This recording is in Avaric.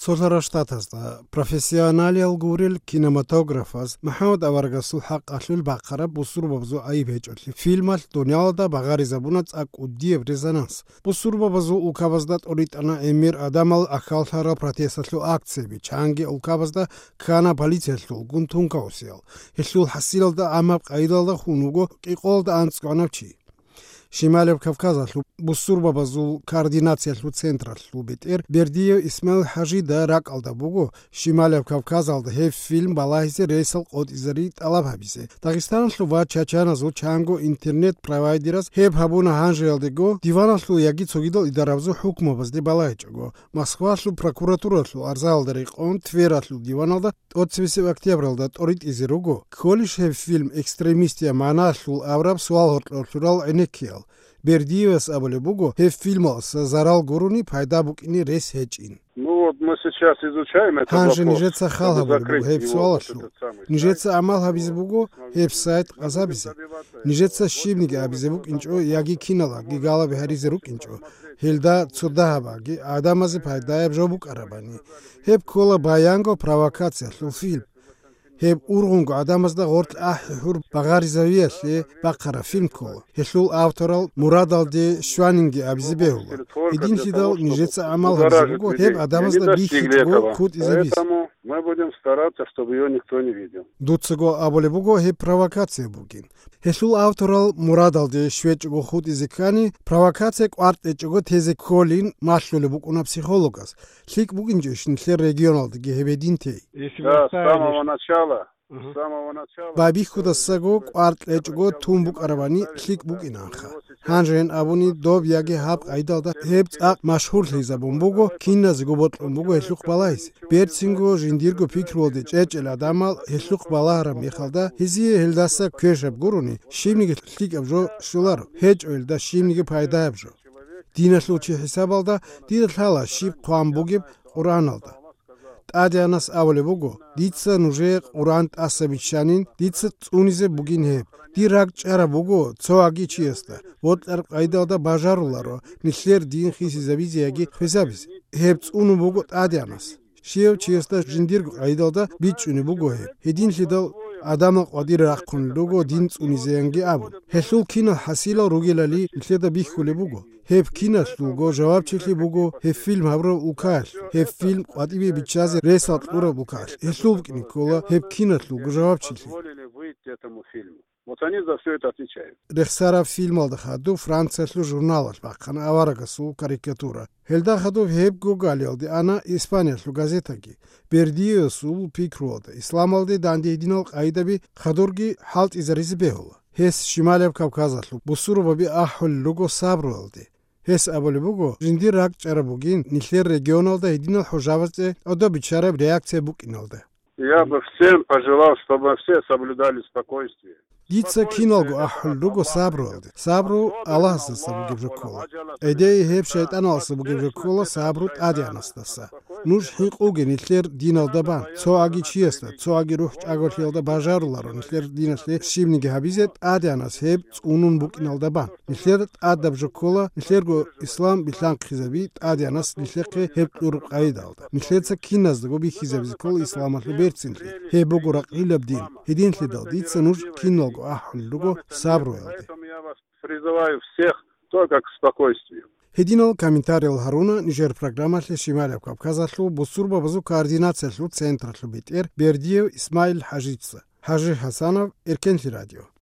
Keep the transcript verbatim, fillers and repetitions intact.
Солъарал Штатазда профессионалиял гурел кинематографаз МухӀаммад аварагасул хӀакъалъулъ бахъараб бусурбабазул гӀайиб гьечӀолъи фильмалъ дуниялалда багъаризабуна цӀакъ кӀудияб резонанс. Бусурбабазул улкабазда тӀоритӀана гӀемер гӀадамал ахьаллъарал протесталъул акцияби, чанги улкабазда ккана полициялъулгун тункаусиял. Гьелъул хӀасилалда гӀамаб къайдалда хун вуго кӀикъоялда анцӀгогӀанав чи. Шималияб Кавказалъул бусурбабазул координациялъул централъул бетӀер Бердиев Исмаил ХӀажида ракӀалда буго Шималияб Кавказалда гьеб фильм балагьизе рейсал къотӀизари тӀалаб гьабизе. Дагъистаналъул ва чачаназул чанго интернет-провайдераз гьеб гьабуна гьанжеялдего диваналъул яги цогидал идарабазул хӀукмабазде балагьичӀого. Москвалъул прокуратуралъул арзаялда рекъон Твералъул диваналда тӀоцебесеб октябралда тӀоритӀизе руго, кколищ гьеб фильм экстремистиян магӀналъул абураб суал гьоркьор лъурал гӀенеккиял. Бердиевас абулеб буго, гьеб фильмалъ зарал гурони пайда букӀине рес гьечӀин. Ну вот, мы сейчас изучаем этот Гьанже вопрос, нижеца хал чтобы гьабулеб буго закрыть гьеб его, вот суалалъул. Этот самый сайт. Нижеца гӀамал гьабизе буго гьеб сайт къазабизе. Нижеца щибниги абизе букӀинчӀо яги киналги галаби гьаризе рукӀинчӀо, гьелда цо дагьабаги гӀадамазе пайдаяб жо букӀарабани. Гьеб ккола баянго провокациялъул фильм. Гьеб ургъунго гӀадамазда гъоркь ахӀи-хӀур багъаризавиялъе бахъараб фильм ккола. Гьелъул авторал мурадалде щванинги абизе бегьула. Гьединлъидал нижеца гӀамал гьабизе буго гьеб гӀадамазда бихьичӀого хутӀизе бис. Поэтому мы будем стараться, чтобы её никто не видел. Дуцаго абулеб буго гьеб провокация бугин. Гьелъул авторал мурадалде щвечӀого хутӀизе ккани, провокация кӀвар тӀечӀого тезе кколин малъулеб букӀуна психологас. ЛъикӀ букӀинчӀищ нилъер регионалдаги гьеб гьедин тей? Если вы Да, с оставили самого ш- начала. Ага. С самого начала. Байбихьудасаго кӀвар кьечӀого тун букӀарабани лъикӀ букӀинанха. Гьанжен абуни доб яги гьаб къайдалда гьеб цӀакъ машгьурлъизабун буго, киназего бокьун буго гьелъухъ балагьизе. Берцинго жиндирго пикруялде чӀечӀел гӀадамал гьелъухъ балагьараб мехалда, гьезие гьелдаса квешаб гурони, щибниги лъикӀаб жо щоларо, гьечӀо гьелда щибниги пайдаяб жо. Диналъул чи хӀисабалда дида лъала щиб хъван бугеб Къуръаналда. ТӀадегӀанас абулеб буго, дица нужее Къуръан тӀаса биччанин, дица цӀунизе бугин гьеб. Дир ракӀ чӀараб буго цо аги чиясда, бокьараб къайдалда бажаруларо нилъер дин хисизабизе яги хвезабизе. Гьеб цӀунун буго ТӀадегӀанас. Щивав чиясда жиндирго къайдалда бичӀчӀунеб буго гьеб. Гьединлъидал гӀадамал къвадир рахъун руго дин цӀунизеянги абун. Гьелъул кинал хӀасилал ругелали нилъеда бихьулеб буго. Гьеб киналъулго жавабчилъи буго гьеб фильм гьабураб улкаялъ, гьеб фильм къватӀибе биччазе ресал кьураб улкаялъ. Гьелъул букӀине ккола гьеб киналъулго жавабчилъи. Позволили выйти этому фильму. Вот они за всё это отвечают. Рехсараб фильмалда хадуб Франциялъул журналалъ бахъана аварагасул карикатура. Гьелда хадуб гьебго галиялде ана Испаниялъул газетаги. Бердиевасул пикруялда исламалде данде гьединал къайдаби хадурги хӀалтӀизаризе бегьула. Гьес Шималияб Кавказалъул бусурбаби ахӀулел руго сабруялде. Гьес абулеб буго, жиндир ракӀчӀараб бугин нилъер регионалда гьединал хӀужабазде тӀадаб биччараб реакция букӀиналда. Я бы всем пожелал, чтобы все соблюдали спокойствие. Дица киналго ахӀулел руго сабруялде. Сабру Аллагьасдаса бугеб жо ккола. ГӀедегӀи гьеб шайтӀаналдаса бугеб жо ккола сабру ТӀадегӀанасдаса. Нуж хӀинкъуге нилъер диналда бан. Цо аги чиясда, цо аги рухӀ чӀаголъиялда бажаруларо нилъер диналъе щибниги гьабизе ТӀадегӀанас гьеб цӀунун букӀиналда бан. Нилъер тӀадаб жо ккола, нилъерго ислам билъанхъизаби ТӀадегӀанас нилъехъе гьеб кьураб къайдалда. Нилъеца киназдаго бихьизабизе ккола исламалъул берцинлъи. Гьеб буго ракълилаб дин. Гьединлъидал дица нуж киналго ахӀулел руго сабруялде. Поэтому я вас призываю всех только к спокойствию. Гьединал комментариял гьаруна нижер программалъе Шималияб Кавказалъул бусурбабазул координациялъул централъул бетӀер Бердиев Исмаил ХӀажица. ХӀажи ХӀасанов, Эркенлъи радио.